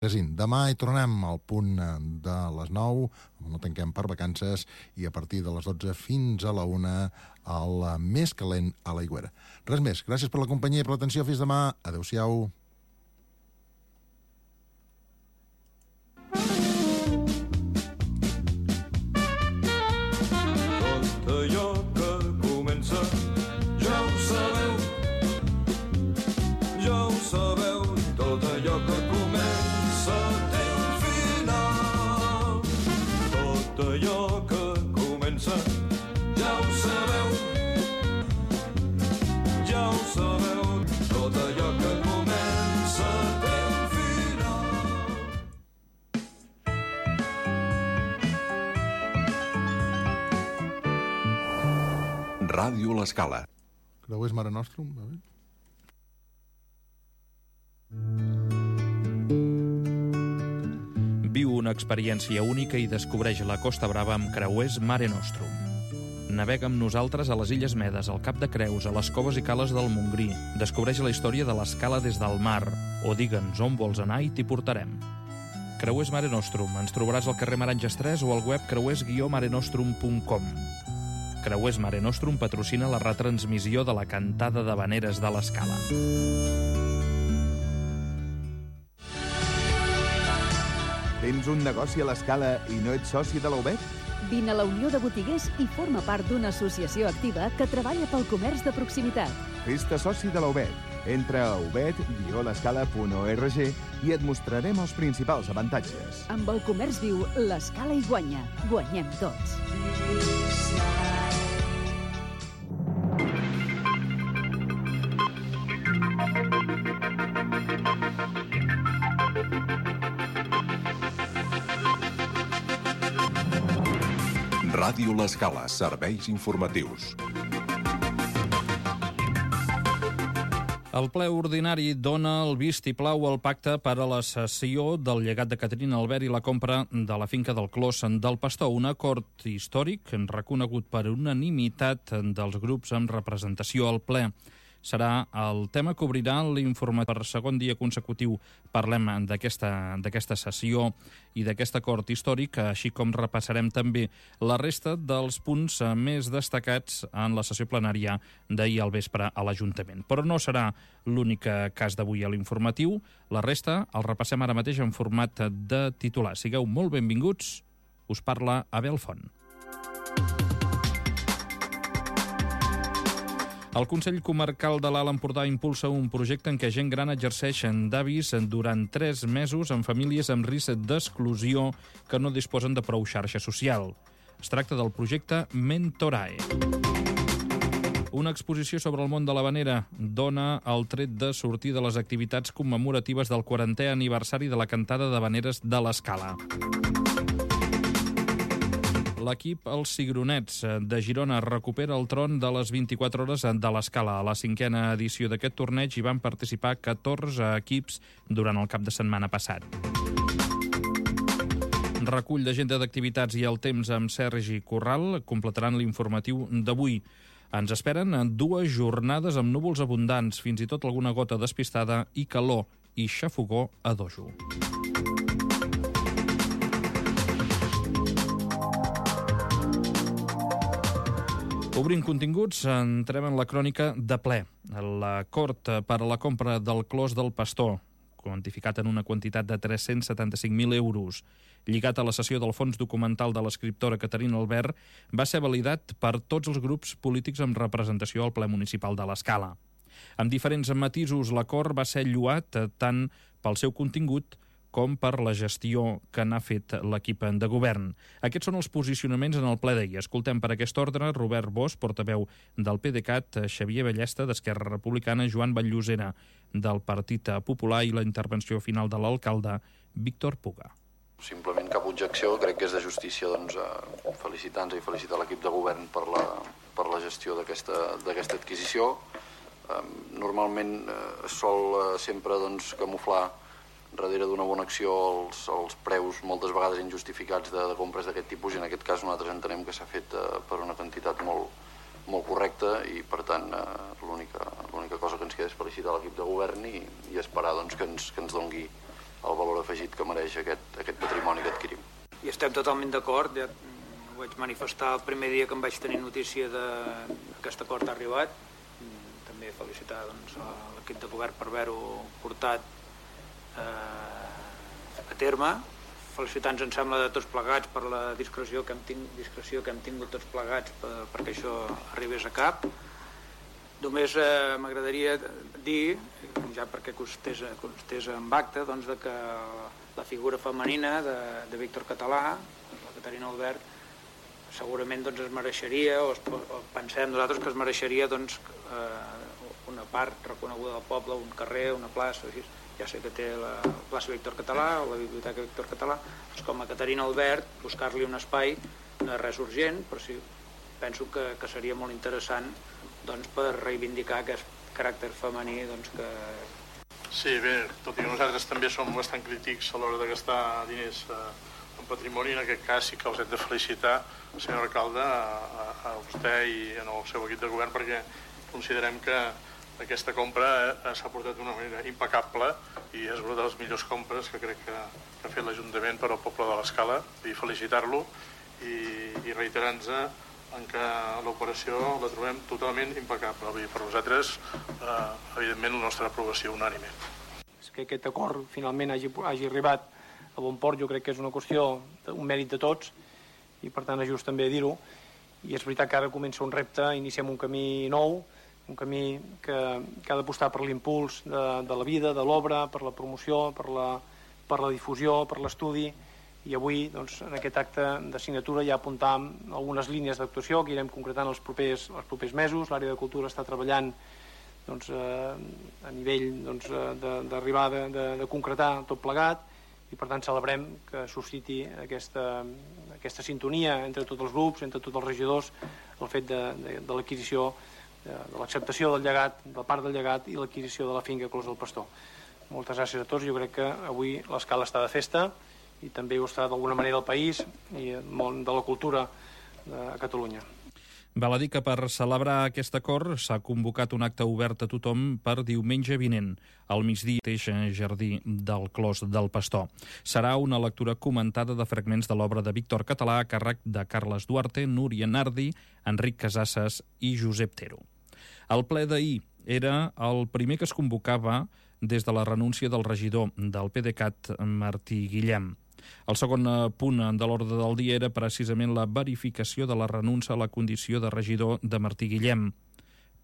Demà hi tornem al punt de les 9, no tanquem per vacances, i a partir de les 12 fins a la 1 el més calent a l'Aigüera. Res més, gràcies per la companyia i per l'atenció, fins demà, adeu-siau. Tot allò que comença ja ho sabeu, tot allò que comença té un final. Tot allò que comença ja ho sabeu, tot allò que comença té un final. Ràdio L'Escala. Creuers Mare Nostrum, va bé? Viu una experiència única i descobreix la Costa Brava amb Creuers Mare Nostrum. Navega amb nosaltres a les Illes Medes, al Cap de Creus, a les coves i cales del Montgrí. Descobreix la història de l'escala des del mar. O digue'ns on vols anar i t'hi portarem. Creuers Mare Nostrum. Ens trobaràs al carrer Maranges 3 o al web creuers-marenostrum.com. Creuers Mare Nostrum patrocina la retransmissió de la cantada d'havaneres de l'escala. Tens un negoci a l'Escala i no ets soci de la UBET? Vine a la Unió de Botiguers i forma part d'una associació activa que treballa pel comerç de proximitat. Fes-te soci de la UBET. Entra a ubet-l'escala.org i et mostrarem els principals avantatges. Amb el comerç viu, l'Escala hi guanya. Guanyem tots. Ràdio L'Escala, serveis informatius. El ple ordinari dona el vistiplau al pacte per a la cessió del llegat de Caterina Albert i la compra de la finca del Clos del Pastor, un acord històric reconegut per unanimitat dels grups amb representació al ple. Serà el tema que obrirà l'informe. Per segon dia consecutiu parlem d'aquesta sessió i d'aquest acord històric, així com repassarem també la resta dels punts més destacats en la sessió plenària d'ahir al vespre a l'Ajuntament. Però no serà l'únic cas d'avui a l'informatiu. La resta el repassem ara mateix en format de titular. Sigueu molt benvinguts. Us parla Abel Font. El Consell Comarcal de l'Alt Empordà impulsa un projecte en què gent gran exerceix d'avis durant 3 mesos en famílies amb risc d'exclusió que no disposen de prou xarxa social. Es tracta del projecte Mentorae. Una exposició sobre el món de l'havanera dona el tret de sortir de les activitats commemoratives del 40è aniversari de la cantada d'havaneres de l'Escala. L'equip Els Cigronets de Girona recupera el tron de les 24 hores de l'Escala. A la 5a edició d'aquest torneig hi van participar 14 equips durant el cap de setmana passat. Recull d'agenda d'activitats i el temps amb Sergi Corral completaran l'informatiu d'avui. Ens esperen 2 jornades amb núvols abundants, fins i tot alguna gota despistada i calor i xafogó a dojo. Obrint continguts, entrem en la crònica de ple. L'acord per a la compra del Clos del Pastor, quantificat en una quantitat de 375.000 euros, lligat a la cessió del fons documental de l'escriptora Caterina Albert, va ser validat per tots els grups polítics amb representació al ple municipal de l'Escala. Amb diferents matisos, l'acord va ser lloat tant pel seu contingut com per la gestió que n'ha fet l'equip de govern. Aquests són els posicionaments en el ple d'ahir. Escoltem per aquest ordre Robert Bosch, portaveu del PDeCAT, Xavier Ballesta, d'Esquerra Republicana, Joan Batllosera, del Partit Popular, i la intervenció final de l'alcalde Víctor Puga. Simplement cap objecció, crec que és de justícia felicitar-nos i felicitar l'equip de govern per la gestió d'aquesta adquisició. Normalment es sol sempre camuflar darrere d'una bona acció els preus moltes vegades injustificats de compres d'aquest tipus, i en aquest cas nosaltres entenem que s'ha fet per una quantitat molt correcta, i per tant l'única cosa que ens queda és felicitar l'equip de govern i esperar que ens doni el valor afegit que mereix aquest patrimoni que adquirim. I estem totalment d'acord, ja ho vaig manifestar el primer dia que em vaig tenir notícia d'aquest acord ha arribat. També felicitar l'equip de govern per haver-ho portat a terme. Felicitar-nos, em sembla, de tots plegats per la discreció que hem tingut tots plegats perquè això arribés a cap. Només m'agradaria dir, ja perquè constés en acte, doncs, que la figura femenina de Víctor Català, la Caterina Albert, segurament doncs, es mereixeria, o pensem nosaltres que es mereixeria doncs, una part reconeguda del poble, un carrer, una plaça, així. Ja sé que té la plaça Víctor Català o la biblioteca Víctor Català, doncs com a Caterina Albert, buscar-li un espai no és res urgent, però sí, penso que seria molt interessant doncs, per reivindicar aquest caràcter femení doncs, que... Sí, bé, tot i que nosaltres també som bastant crítics a l'hora de gastar diners en patrimoni, en aquest cas sí que els hem de felicitar, senyor alcalde, a vostè i al seu equip de govern, perquè considerem que aquesta compra s'ha portat d'una manera impecable i és una de les millors compres que crec que ha fet l'Ajuntament per al poble de l'Escala, i felicitar-lo i reiterar-nos en que l'operació la trobem totalment impecable. Per nosaltres, evidentment, la nostra aprovació unànime. Que aquest acord finalment hagi arribat a bon port, jo crec que és una qüestió, un mèrit de tots, i per tant és just també dir-ho. I és veritat que ara comença un repte, iniciem un camí nou, un camí que ha d'apostar per l'impuls de la vida, de l'obra, per la promoció, per la difusió, per l'estudi, i avui doncs, en aquest acte de signatura ja apuntàvem algunes línies d'actuació que irem concretant els propers mesos. L'àrea de cultura està treballant doncs, a nivell doncs, d'arribar de concretar tot plegat, i per tant celebrem que susciti aquesta sintonia entre tots els grups, entre tots els regidors, el fet de l'adquisició, de l'acceptació del llegat, de part del llegat i l'adquisició de la finca Clos del Pastor. Moltes gràcies a tots. Jo crec que avui l'Escala està de festa i també ho està d'alguna manera el país i el món de la cultura a Catalunya. Val a dir que per celebrar aquest acord s'ha convocat un acte obert a tothom per diumenge vinent, al migdia, al jardí del Clos del Pastor. Serà una lectura comentada de fragments de l'obra de Víctor Català a càrrec de Carles Duarte, Núria Nardi, Enric Casasses i Josep Tero. El ple d'ahir era el primer que es convocava des de la renúncia del regidor del PDeCAT, Martí Guillem. El segon punt de l'ordre del dia era precisament la verificació de la renúncia a la condició de regidor de Martí Guillem.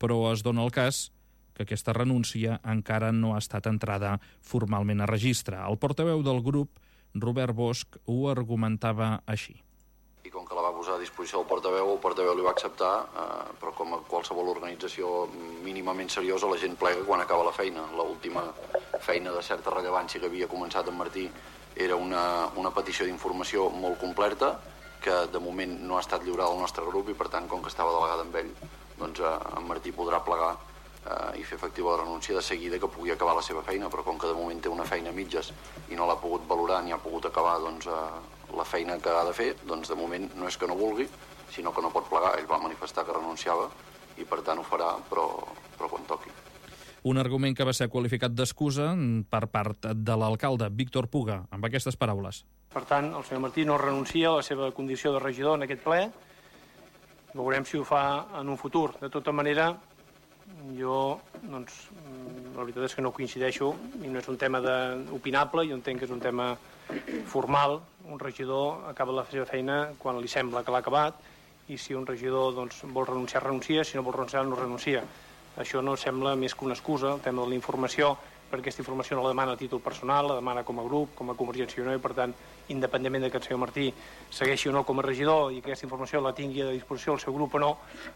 Però es dona el cas que aquesta renúncia encara no ha estat entrada formalment a registre. El portaveu del grup, Robert Bosch, ho argumentava així. I com que la va posar a disposició el portaveu li va acceptar, però com a qualsevol organització mínimament seriosa, la gent plega quan acaba la feina. L'última feina de certa rellevància que havia començat en Martí era una petició d'informació molt completa, que de moment no ha estat lliurada al nostre grup, i per tant, com que estava delegada amb ell, doncs en Martí podrà plegar i fer efectiva la renúncia de seguida que pugui acabar la seva feina, però com que de moment té una feina a mitges i no l'ha pogut valorar ni ha pogut acabar doncs, la feina que ha de fer, doncs de moment no és que no vulgui, sinó que no pot plegar. Ell va manifestar que renunciava i per tant ho farà, però quan toqui. Un argument que va ser qualificat d'excusa per part de l'alcalde Víctor Puga, amb aquestes paraules. Per tant, el senyor Martí no renuncia a la seva condició de regidor en aquest ple. Veurem si ho fa en un futur. De tota manera, jo, doncs, la veritat és que no coincideixo i no és un tema opinable, jo entenc que és un tema formal. Un regidor acaba la seva feina quan li sembla que l'ha acabat, i si un regidor doncs, vol renunciar, renuncia, si no vol renunciar, no renuncia. Això no sembla més que una excusa, el tema de la informació, perquè aquesta informació no la demana a títol personal, la demana com a grup, com a Convergència i Unió, i per tant, independentment de que el senyor Martí segueixi o no com a regidor i que aquesta informació la tingui a disposició el seu grup o no,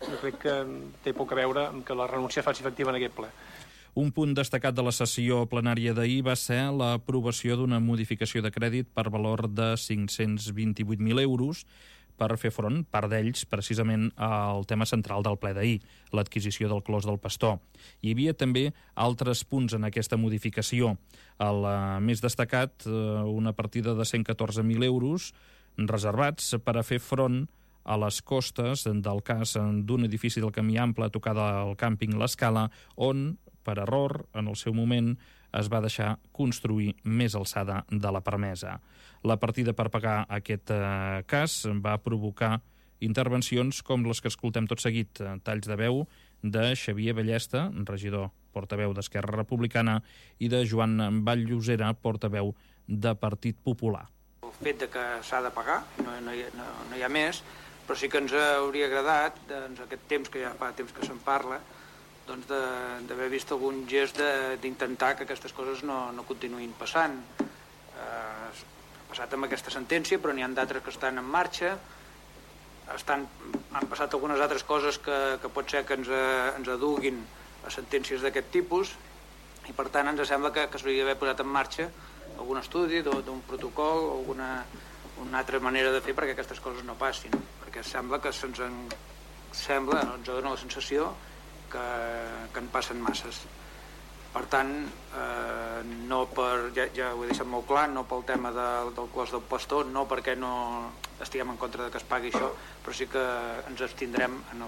jo crec que té poc a veure amb que la renúncia es faci efectiva en aquest ple. Un punt destacat de la sessió plenària d'ahir va ser l'aprovació d'una modificació de crèdit per valor de 528.000 euros per fer front, part d'ells, precisament al tema central del ple d'ahir, l'adquisició del Clos del Pastor. Hi havia també altres punts en aquesta modificació. El més destacat, una partida de 114.000 euros reservats per a fer front a les costes del cas d'un edifici del Camí Ample a tocar del càmping L'Escala, on Per error, en el seu moment, es va deixar construir més alçada de la permesa. La partida per pagar aquest cas va provocar intervencions com les que escoltem tot seguit, talls de veu de Xavier Ballesta, regidor portaveu d'Esquerra Republicana, i de Joan Vall-Llosera, portaveu de Partit Popular. El fet de que s'ha de pagar, no hi ha més, però sí que ens hauria agradat, doncs, aquest temps que ja fa temps que se'n parla, doncs d'haver vist algun gest d'intentar que aquestes coses no continuïn passant. Ha passat amb aquesta sentència, però n'hi ha d'altres que estan en marxa. Han passat algunes altres coses que pot ser que ens aduguin a sentències d'aquest tipus, i per tant ens sembla que s'hauria d'haver posat en marxa algun estudi d'un protocol o una altra manera de fer perquè aquestes coses no passin, perquè sembla que ens dona la sensació que en passen masses. Per tant, ja ho he deixat molt clar, no pel tema del clos del pastor, no perquè no estiguem en contra de que es pagui això, però sí que ens abstindrem en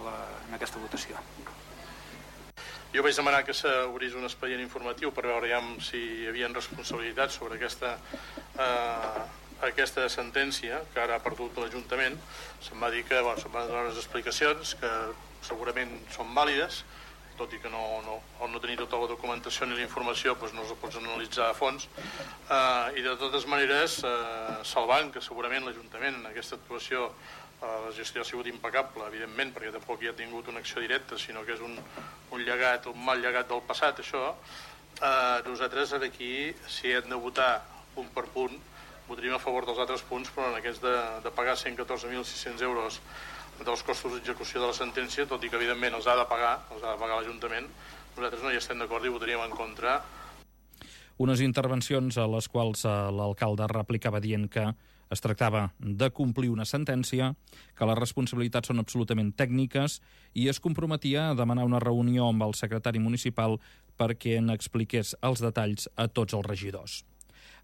aquesta votació. Jo vaig demanar que s'obrís un expedient informatiu per veure si hi havia responsabilitats sobre aquesta sentència que ara ha perdut l'Ajuntament. Se'm va dir que se'm van donar unes explicacions que segurament són vàlides, tot i que no tenir tota la documentació ni la informació no es pots analitzar a fons, i de totes maneres salvant que segurament l'Ajuntament en aquesta actuació la gestió ha sigut impecable, evidentment, perquè tampoc hi ha tingut una acció directa, sinó que és un mal llegat del passat, això. Nosaltres aquí, si hem de votar punt per punt, votaríem a favor dels altres punts, però en aquests de pagar 114.600 euros dels costos d'execució de la sentència, tot i que evidentment els ha de pagar l'Ajuntament, nosaltres no hi estem d'acord i votaríem en contra. Unes intervencions a les quals l'alcalde replicava dient que es tractava de complir una sentència, que les responsabilitats són absolutament tècniques i es comprometia a demanar una reunió amb el secretari municipal perquè n'expliqués els detalls a tots els regidors.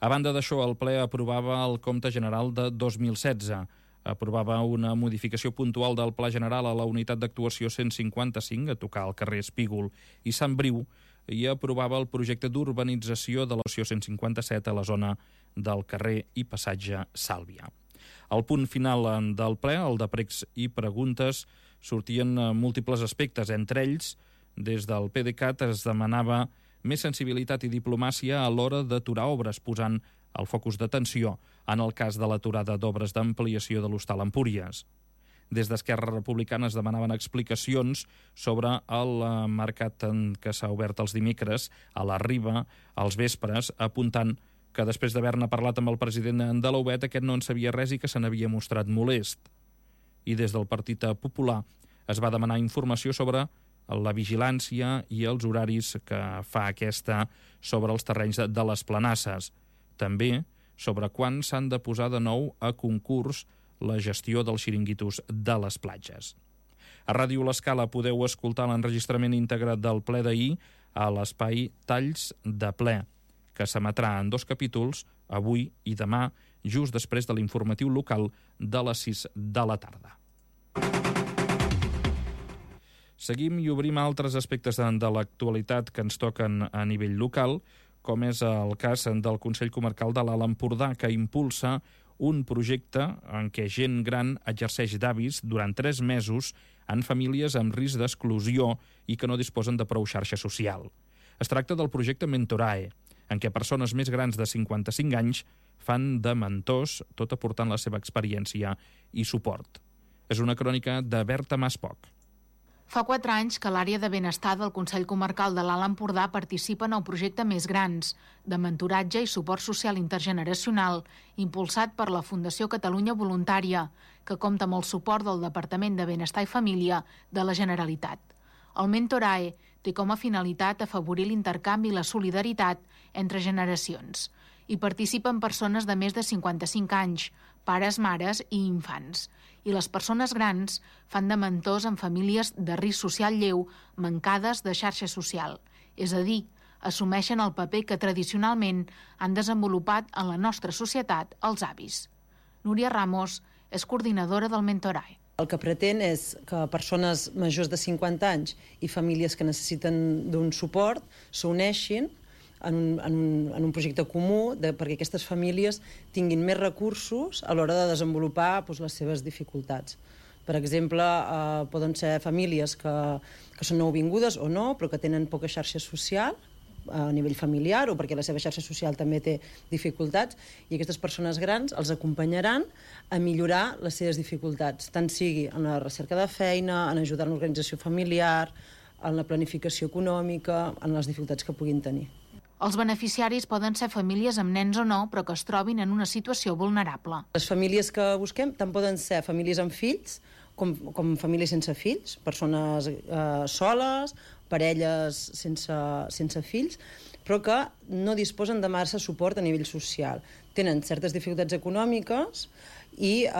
A banda d'això, el ple aprovava el compte general de 2016, aprovava una modificació puntual del Pla General a la unitat d'actuació 155, a tocar al carrer Espígol i Sant Briu, i aprovava el projecte d'urbanització de l'opció 157 a la zona del carrer i passatge Sàlvia. Al punt final del ple, el de pregs i preguntes, sortien múltiples aspectes. Entre ells, des del PDeCAT es demanava més sensibilitat i diplomàcia a l'hora d'aturar obres, posant el focus d'atenció en el cas de l'aturada d'obres d'ampliació de l'Hostal Empúries. Des d'Esquerra Republicana es demanaven explicacions sobre el mercat que s'ha obert els dimecres a la Riba, als vespres, apuntant que després d'haver-ne parlat amb el president de l'UBET, aquest no en sabia res i que se n'havia mostrat molest. I des del Partit Popular es va demanar informació sobre la vigilància i els horaris que fa aquesta sobre els terrenys de les planasses. També sobre quan s'han de posar de nou a concurs la gestió dels xiringuitos de les platges. A Ràdio L'Escala podeu escoltar l'enregistrament íntegre del ple d'ahir a l'espai Talls de ple, que s'emetrà en 2 capítols, avui i demà, just després de l'informatiu local de les 6 de la tarda. Seguim i obrim altres aspectes de l'actualitat que ens toquen a nivell local, com és el cas del Consell Comarcal de l'Alt Empordà, que impulsa un projecte en què gent gran exerceix d'avis durant 3 mesos en famílies amb risc d'exclusió i que no disposen de prou xarxa social. Es tracta del projecte Mentorae, en què persones més grans de 55 anys fan de mentors, tot aportant la seva experiència i suport. És una crònica de Berta Maspoc. Fa 4 anys que l'àrea de benestar del Consell Comarcal de l'Alt Empordà participa en el projecte Més Grans, de mentoratge i suport social intergeneracional, impulsat per la Fundació Catalunya Voluntària, que compta amb el suport del Departament de Benestar i Família de la Generalitat. El Mentorae té com a finalitat afavorir l'intercanvi i la solidaritat entre generacions. Hi participen persones de més de 55 anys, pares, mares i infants. I les persones grans fan de mentors en famílies de risc social lleu mancades de xarxa social, és a dir, assumeixen el paper que tradicionalment han desenvolupat en la nostra societat els avis. Núria Ramos és coordinadora del Mentorae. El que pretén és que persones majors de 50 anys i famílies que necessiten d'un suport s'uneixin en un projecte comú perquè aquestes famílies tinguin més recursos a l'hora de desenvolupar les seves dificultats. Per exemple, poden ser famílies que són nouvingudes o no, però que tenen poca xarxa social a nivell familiar o perquè la seva xarxa social també té dificultats, i aquestes persones grans els acompanyaran a millorar les seves dificultats, tant sigui en la recerca de feina, en ajudar en l'organització familiar, en la planificació econòmica, en les dificultats que puguin tenir. Els beneficiaris poden ser famílies amb nens o no, però que es trobin en una situació vulnerable. Les famílies que busquem tant poden ser famílies amb fills com famílies sense fills, persones soles, parelles sense fills, però que no disposen de massa suport a nivell social. Tenen certes dificultats econòmiques i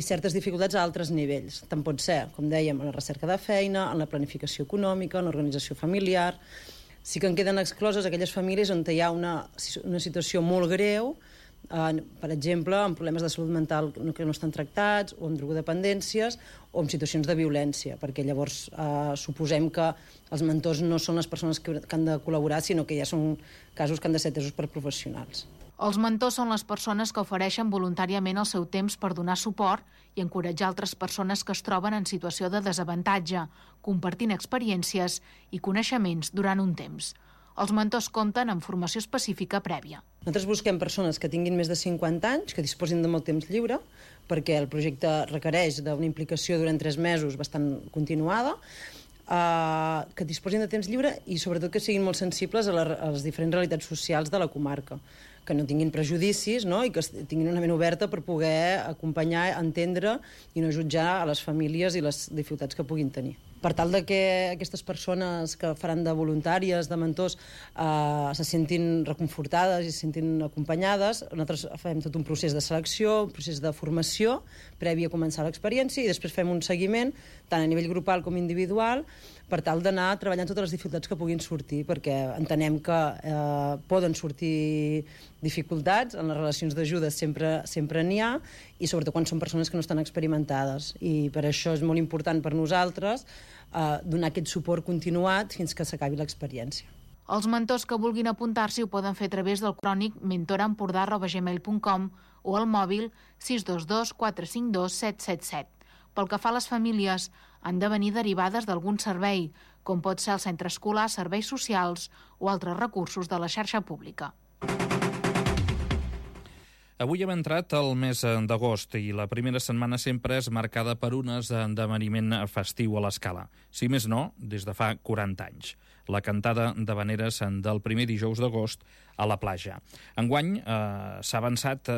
certes dificultats a altres nivells. Tant pot ser, com dèiem, en la recerca de feina, en la planificació econòmica, en l'organització familiar. Sí que en queden excloses aquelles famílies on hi ha una situació molt greu, per exemple, amb problemes de salut mental que no estan tractats, o amb drogodependències, o amb situacions de violència, perquè llavors suposem que els mentors no són les persones que han de col·laborar, sinó que ja són casos que han de ser atesos per professionals. Els mentors són les persones que ofereixen voluntàriament el seu temps per donar suport i encoratjar altres persones que es troben en situació de desavantatge, compartint experiències i coneixements durant un temps. Els mentors compten amb formació específica prèvia. Nosaltres busquem persones que tinguin més de 50 anys, que disposin de molt temps lliure, perquè el projecte requereix d'una implicació durant 3 mesos bastant continuada, que disposin de temps lliure i sobretot que siguin molt sensibles a les diferents realitats socials de la comarca, que no tinguin prejudicis, no? I que tinguin una ment oberta per poder acompanyar, entendre i no jutjar a les famílies i les dificultats que puguin tenir. Per tal de que aquestes persones que faran de voluntàries, de mentors, se sentin reconfortades i se sentin acompanyades, nosaltres fem tot un procés de selecció, un procés de formació previ a començar l'experiència, i després fem un seguiment, tant a nivell grupal com individual, per tal d'anar treballant totes les dificultats que puguin sortir, perquè entenem que poden sortir dificultats, en les relacions d'ajuda sempre n'hi ha, i sobretot quan són persones que no estan experimentades. I per això és molt important per nosaltres donar aquest suport continuat fins que s'acabi l'experiència. Els mentors que vulguin apuntar-s'hi ho poden fer a través del crònic mentoraempordà@gmail.com o al mòbil 622 452 777. Pel que fa a les famílies, han de venir derivades d'algun servei, com pot ser el centre escolar, serveis socials o altres recursos de la xarxa pública. Avui hem entrat al mes d'agost i la primera setmana sempre és marcada per un esdeveniment festiu a l'Escala. Si més no, des de fa 40 anys. La cantada d'havaneres del primer dijous d'agost a la platja. Enguany s'ha avançat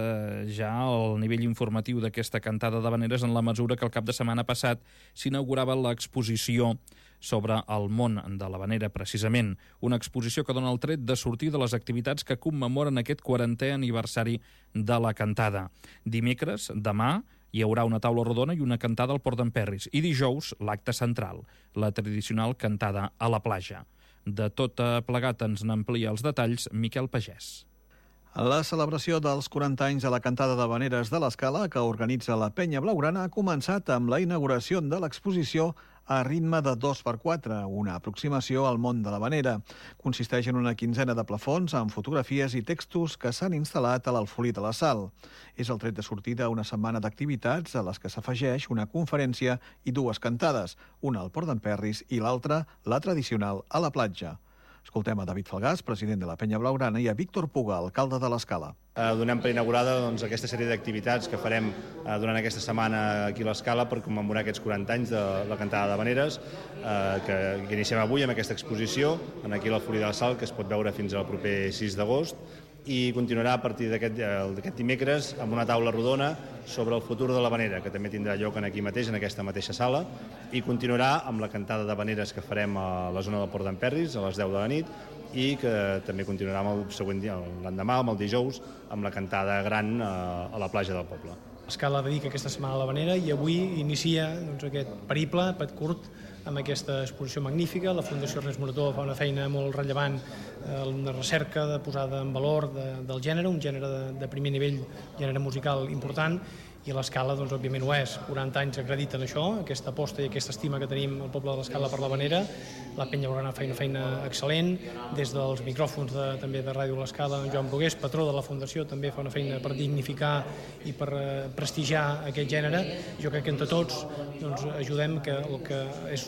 ja el nivell informatiu d'aquesta cantada d'havaneres en la mesura que el cap de setmana passat s'inaugurava l'exposició sobre el món de l'havanera, precisament. Una exposició que dona el tret de sortir de les activitats que commemoren aquest 40è aniversari de la cantada. Dimecres, demà, hi haurà una taula rodona i una cantada al Port d'en Perris. I dijous, l'acte central, la tradicional cantada a la platja. De tot plegat ens n'amplia els detalls Miquel Pagès. La celebració dels 40 anys de la cantada d'havaneres de l'Escala, que organitza la Penya Blaugrana, ha començat amb la inauguració de l'exposició a ritme de 2x4, una aproximació al món de l'havanera. Consisteix en una quinzena de plafons amb fotografies i textos que s'han instal·lat a l'Alfolí de la Sal. És el tret de sortida a una setmana d'activitats a les que s'afegeix una conferència i 2 cantades, una al Port d'en Perris i l'altra, la tradicional, a la platja. Escoltem a David Falgàs, president de la Penya Blaugrana, i a Víctor Puga, alcalde de l'Escala. Donem per inaugurada aquesta sèrie d'activitats que farem durant aquesta setmana aquí a l'Escala per commemorar aquests 40 anys de la cantada d'havaneres que iniciem avui amb aquesta exposició aquí a l'Alfolí de la Sal, que es pot veure fins al proper 6 d'agost, i continuarà a partir d'aquest dimecres amb una taula rodona sobre el futur de l'havanera, que també tindrà lloc aquí mateix, en aquesta mateixa sala, i continuarà amb la cantada d'havaneres que farem a la zona del Port d'en Perris a les 10 de la nit, i que també continuarà el següent dia, l'endemà, amb el dijous, amb la cantada gran a la platja del poble. L'Escala dedica aquesta setmana a l'havanera i avui inicia aquest periple curt amb aquesta exposició magnífica. La Fundació Ernest Morató fa una feina molt rellevant en la recerca de posada en valor del gènere, un gènere de primer nivell, gènere musical important, i l'Escala, doncs, òbviament ho és. 40 anys acrediten això, aquesta aposta i aquesta estima que tenim al poble de l'Escala per l'Havanera. La Penya Blaugrana fa una feina excel·lent. Des dels micròfons també de Ràdio l'Escala, en Joan Brugués, patró de la Fundació, també fa una feina per dignificar i per prestigiar aquest gènere. Jo crec que entre tots doncs, ajudem que el que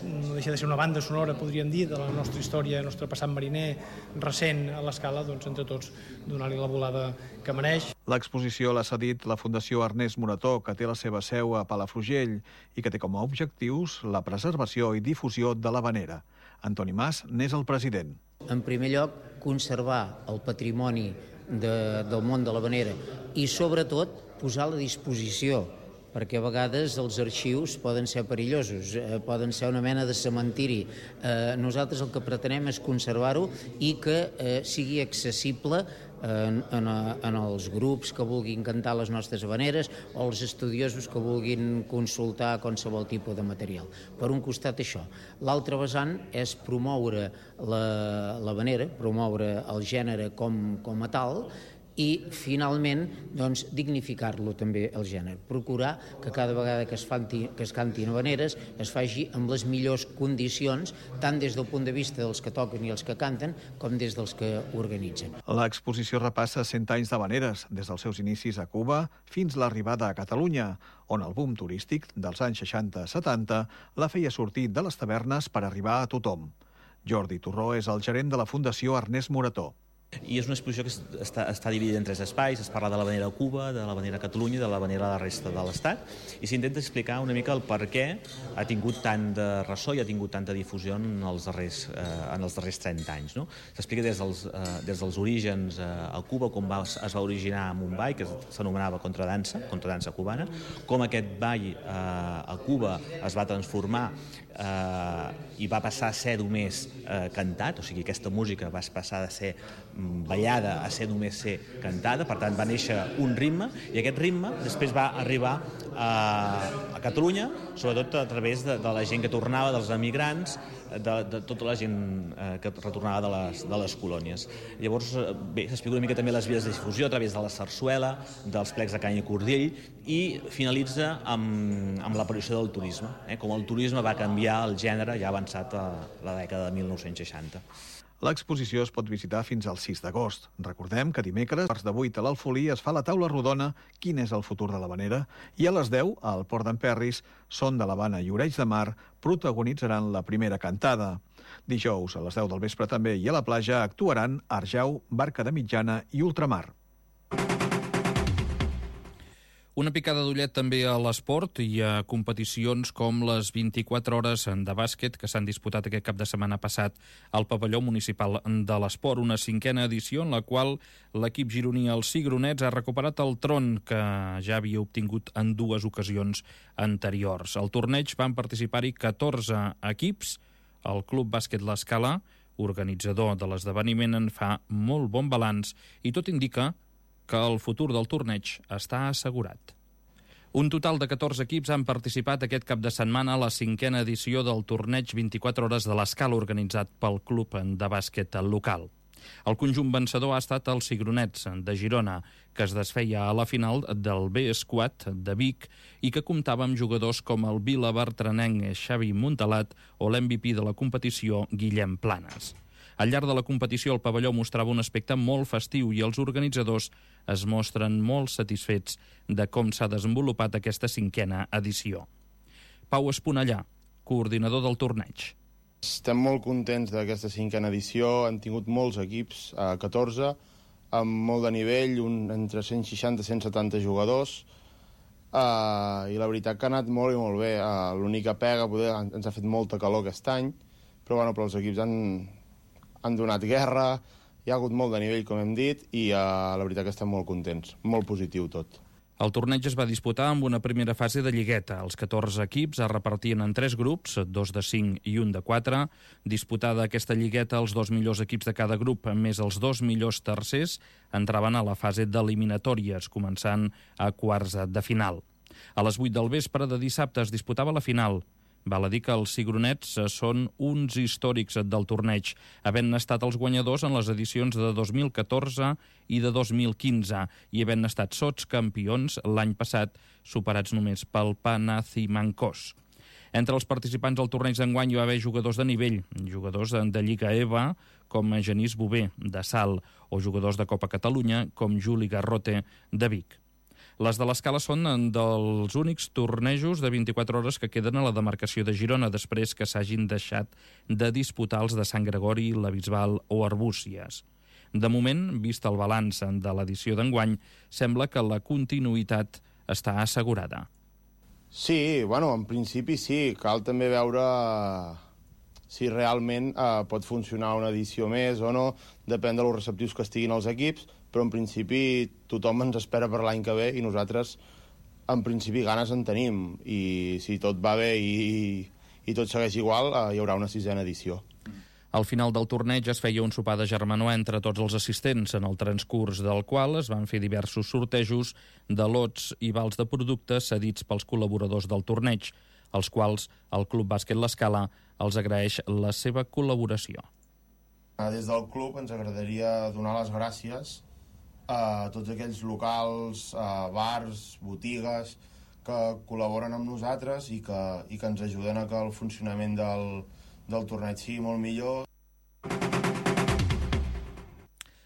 no deixa de ser una banda sonora, podríem dir, de la nostra història, el nostre passat mariner recent a l'Escala, doncs entre tots donar-li la volada que mereix. L'exposició l'ha cedit la Fundació Ernest Morató, que té la seva seu a Palafrugell i que té com a objectius la preservació i difusió de l'havanera. Antoni Mas n'és el president. En primer lloc, conservar el patrimoni del món de l'havanera i, sobretot, posar a la disposició, perquè a vegades els arxius poden ser perillosos, poden ser una mena de cementiri. Nosaltres el que pretenem és conservar-ho i que sigui accessible en els grups que vulguin cantar les nostres havaneres o els estudiosos que vulguin consultar qualsevol tipus de material. Per un costat, això. L'altre vessant és promoure l'havanera, promoure el gènere com a tal, i, finalment, doncs, dignificar-lo també, el gènere. Procurar que cada vegada que es cantin havaneres es faci amb les millors condicions, tant des del punt de vista dels que toquen i els que canten, com des dels que organitzen. L'exposició repassa 100 anys d'havaneres, des dels seus inicis a Cuba fins l'arribada a Catalunya, on el boom turístic dels anys 60-70 la feia sortir de les tavernes per arribar a tothom. Jordi Torró és el gerent de la Fundació Ernest Morató. I és una exposició que està dividida en 3 espais. Es parla de l'havanera a Cuba, de l'havanera a Catalunya i de l'havanera a la resta de l'Estat, i s'intenta explicar una mica el per què ha tingut tant de ressò i ha tingut tanta difusió en els darrers 30 anys. No? S'explica des dels orígens a Cuba, com es va originar a Mumbai, que s'anomenava contradansa cubana, com aquest ball a Cuba es va transformar i va passar a ser només cantat, o sigui, aquesta música va passar de ser ballada a ser només ser cantada, per tant va néixer un ritme, i aquest ritme després va arribar a Catalunya, sobretot a través de la gent que tornava, dels emigrants, de tota la gent que retornava de les colònies. Llavors, bé, s'explica una mica també les vies de difusió a través de la sarsuela, dels plecs de canya i cordill, i finalitza amb l'aparició del turisme, com el turisme va canviar el gènere ja avançat a la dècada de 1960. L'exposició es pot visitar fins al 6 d'agost. Recordem que dimecres, a quarts de 8 a l'Alfolí, es fa la taula rodona Quin és el futur de l'havanera? I a les 10, al Port d'en Perris, Son de l'Havana i Oreig de Mar protagonitzaran la primera cantada. Dijous, a les 10 del vespre també, i a la platja actuaran Arjau, Barca de Mitjana i Ultramar. Una picada d'ullet també a l'esport i a competicions com les 24 hores de bàsquet que s'han disputat aquest cap de setmana passat al pavelló municipal de l'esport, una 5a edició en la qual l'equip gironí, els Cigronets, ha recuperat el tron que ja havia obtingut en 2 ocasions anteriors. Al torneig van participar-hi 14 equips. El Club Bàsquet l'Escala, organitzador de l'esdeveniment, en fa molt bon balanç i tot indica que el futur del torneig està assegurat. Un total de 14 equips han participat aquest cap de setmana a la 5a edició del torneig 24 hores de l'Escala organitzat pel club de bàsquet local. El conjunt vencedor ha estat els Cigronets de Girona, que es desfeia a la final del B-Squad de Vic i que comptava amb jugadors com el vila bertranenc Xavi Montalat o l'MVP de la competició Guillem Planes. Al llarg de la competició, el pavelló mostrava un aspecte molt festiu i els organitzadors es mostren molt satisfets de com s'ha desenvolupat aquesta 5a edició. Pau Esponellà, coordinador del torneig. Estem molt contents d'aquesta 5a edició. Han tingut molts equips, 14, amb molt de nivell, entre 160 i 170 jugadors, i la veritat que ha anat molt i molt bé. L'única pega, ens ha fet molta calor aquest any, però els equips han donat guerra, hi ha hagut molt de nivell, com hem dit, i la veritat que estem molt contents, molt positiu tot. El torneig es va disputar amb una primera fase de lligueta. Els 14 equips es repartien en 3 grups, 2 de 5 i 1 de 4. Disputada aquesta lligueta, els 2 millors equips de cada grup, més els 2 millors tercers, entraven a la fase d'eliminatòries, començant a quarts de final. A les 8 del vespre de dissabte es disputava la final. Val a dir que els cigronets són uns històrics del torneig, havent estat els guanyadors en les edicions de 2014 i de 2015 i havent estat sotscampions l'any passat, superats només pel Panathinaikos. Entre els participants al torneig d'enguany hi va haver jugadors de nivell, jugadors de Lliga EVA, com Genís Bové, de Salt, o jugadors de Copa Catalunya, com Juli Garrote, de Vic. Les de l'Escala són dels únics tornejos de 24 hores que queden a la demarcació de Girona, després que s'hagin deixat de disputar els de Sant Gregori, la Bisbal o Arbúcies. De moment, vist el balanç de l'edició d'enguany, sembla que la continuïtat està assegurada. Sí, bueno, en principi sí. Cal també veure si realment pot funcionar una edició més o no. Depèn de los receptius que estiguin els equips, però en principi tothom ens espera per l'any que ve i nosaltres, en principi, ganes en tenim. I si tot va bé i tot segueix igual, hi haurà una 6ª edició. Al final del torneig es feia un sopar de germanor entre tots els assistents, en el transcurs del qual es van fer diversos sortejos de lots i vals de productes cedits pels col·laboradors del torneig, als quals el Club Bàsquet L'Escala els agraeix la seva col·laboració. Des del club ens agradaria donar les gràcies a tots aquells locals, bars, botigues que col·laboren amb nosaltres i que ens ajuden a que el funcionament del torneig sigui molt millor.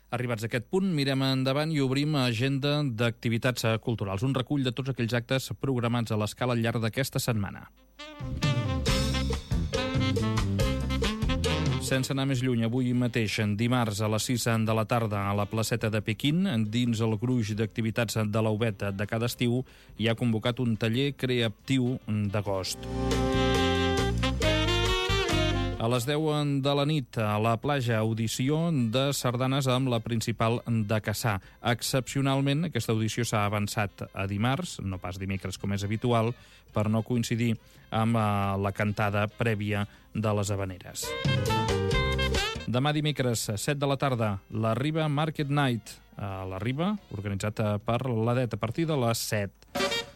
Arribats a aquest punt, mirem endavant i obrim agenda d'activitats culturals. Un recull de tots aquells actes programats a l'Escala al llarg d'aquesta setmana. Sense anar més lluny, avui mateix, dimarts a les 6 de la tarda a la placeta de Pequín, dins el gruix d'activitats de l'Aubet de cada estiu, hi ha convocat un taller creatiu d'agost. A les 10 de la nit, a la platja, audició de sardanes amb la principal de Cassà. Excepcionalment, aquesta audició s'ha avançat a dimarts, no pas dimecres com és habitual, per no coincidir amb la cantada prèvia de les Havaneres. Demà dimecres, 7 de la tarda, la Riba Market Night. A la Riba, organitzat per l'ADET a partir de les 7.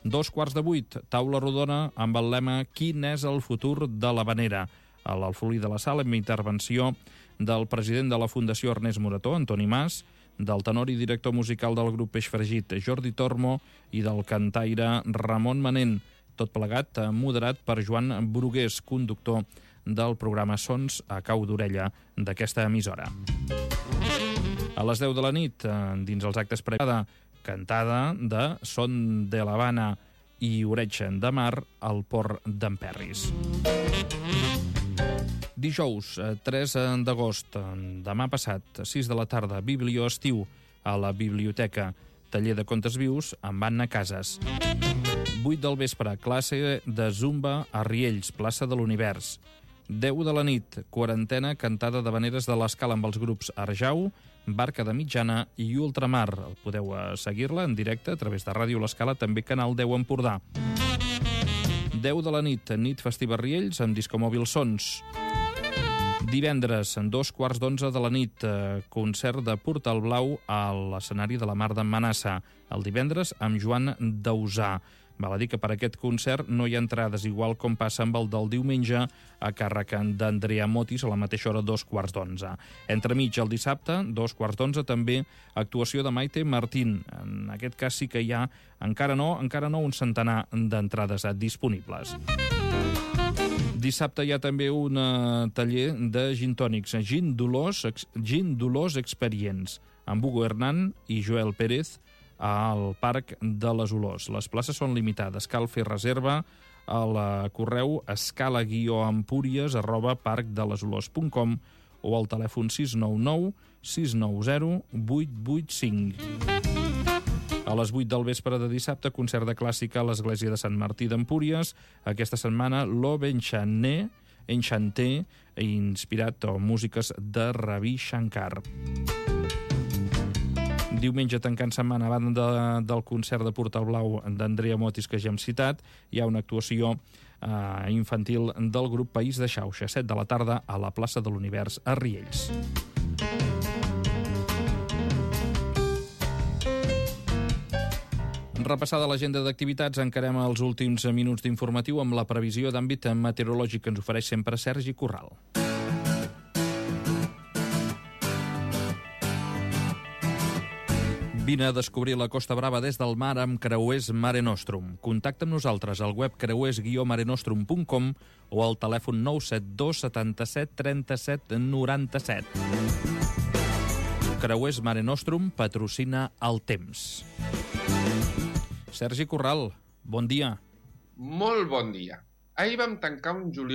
7:15, taula rodona amb el lema «Quin és el futur de l'Havanera?». A l'Alfolí de la Sala, amb intervenció del president de la Fundació Ernest Morató, Antoni Mas, del tenor i director musical del grup Peix Fregit, Jordi Tormo, i del cantaire Ramon Manent, tot plegat moderat per Joan Brugués, conductor del programa Sons a cau d'orella d'aquesta emissora. A les 10 de la nit, dins els actes previs, cantada de Son de l'Havana i Oreig de Mar al Port d'Emperris. Dijous, 3 d'agost, demà passat, 6 de la tarda, Biblio Estiu, a la biblioteca, taller de contes vius amb Anna Casas. 8 del vespre, classe de Zumba a Riells, plaça de l'Univers. 10 de la nit, quarantena cantada d'havaneres de l'Escala amb els grups Arjau, Barca de Mitjana i Ultramar. Podeu seguir-la en directe a través de Ràdio L'Escala, també Canal 10 Empordà. 10 de la nit, nit festiva a Riells amb Discomòbil Sons. Divendres, 2:15 de la nit, concert de Portal Blau a l'escenari de la Mar d'en Manassa. El divendres amb Joan Dausà. Val a dir que per aquest concert no hi ha entrades, igual com passa amb el del diumenge, a càrrec d'Andrea Motis a la mateixa hora, 2:15. Entremig, el dissabte, 2:15, també actuació de Maite Martín. En aquest cas sí que hi ha, encara no, un centenar d'entrades disponibles. Dissabte hi ha també un taller de gin tònics, Gin Dolors Experience, amb Hugo Hernán i Joel Pérez, al Parc de les Olors. Les places són limitades. Cal fer reserva al correu escala-empúries@parcdelesolors.com o al telèfon 699 690 885. A les 8 del vespre de dissabte, concert de clàssica a l'Església de Sant Martí d'Empúries. Aquesta setmana, l'Ove Enchanté, inspirat en músiques de Ravi Shankar. Diumenge, tancant setmana, a banda del concert de Portal Blau d'Andrea Motis, que ja hem citat, hi ha una actuació infantil del grup País de Xauxa, 7 de la tarda, a la plaça de l'Univers a Riells. Repassada l'agenda d'activitats, encarem els últims minuts d'informatiu amb la previsió d'àmbit meteorològic que ens ofereix sempre Sergi Corral. Vine a descobrir la Costa Brava des del mar amb Creuers Mare Nostrum. Contacta amb nosaltres al web creuers-marenostrum.com o al telèfon 972 77 37 97. Creuers Mare Nostrum patrocina el temps. Sergi Corral, bon dia. Molt bon dia. Ahir vam tancar un juliol